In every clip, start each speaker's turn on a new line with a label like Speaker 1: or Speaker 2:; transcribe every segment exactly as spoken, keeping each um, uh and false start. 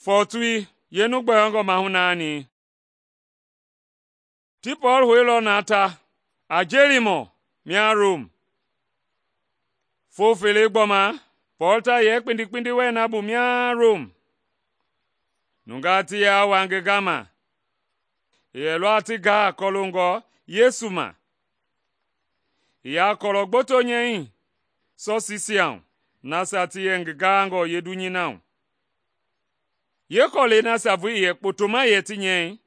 Speaker 1: Fɔɔtui yeenu gbɛoongɔ maahu naani. Ti Pɔɔl houilɔ na ta a jeelimɔ mia Rom. Foo fele gbɔma Pɔɔl ta yɛ kpindi wɛɛ na bu mia Rom. Nungaa ti yaa wa ngi gama, i yɛlɔ a ti gaa kɔloongɔ Yesu ma. I yaa kɔlɔ gboto nyɛi sɔsiisia hu nasia ti yɛ ngi gaangɔ yeedunyei na hu. Yeekɔlɛi nasia vulii i yɛ kpotoma yɛ ti nyɛi,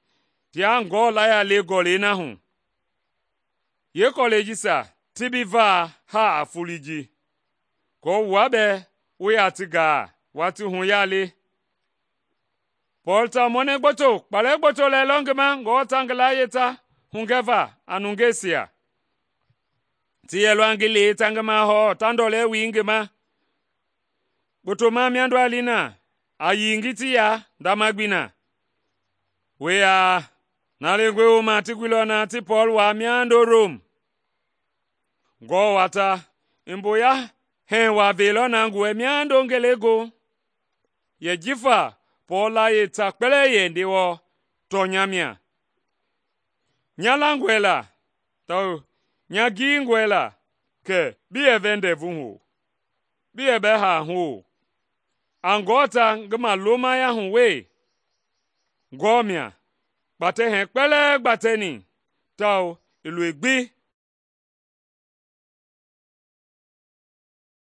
Speaker 1: tia Ngewɔ laya le gɔlɛi na hu. Yeekɔlɛi jisia ti bi va haa a foloi ji, aako wua bɛɛ wu yaa ti gaa watii hu yaa le. Pɔɔl ta mɔnɛ gboto kpalɛ gboto lɛɛlɔ ngi ma Ngewɔ ta ngi layie ta hugɛva a nungeisia. Ti yɛlɔ a ngi le ta ngi mahɔɔ ta ndɔlɛ wui ngi ma. Kpotoma miando a li na, a yii ngi ti ya ndama gbi na. We yaa, na lengɔe wooma ti guilɔ na ti Pɔɔl waa miando Rom. Ngewɔ wata i mboya hɛɛ waa veilɔ na ngi wɛ miando ngelegoohu, yɛ jifa Pɔɔl layie ta kpɛlɛɛ yɛ Ndewɔ tɔnya mia. Nya langɔe la tawao nya giingɔe la kɛ bi yɛ vɛ ndɛvu hu, bi yɛ bɛ haa hu o. A Ngewɔ ta ngi malomaya hu wee. Ngewɔ mia kpatɛ hɛɛ kpɛlɛɛ gbatɛni tawao i loi gbi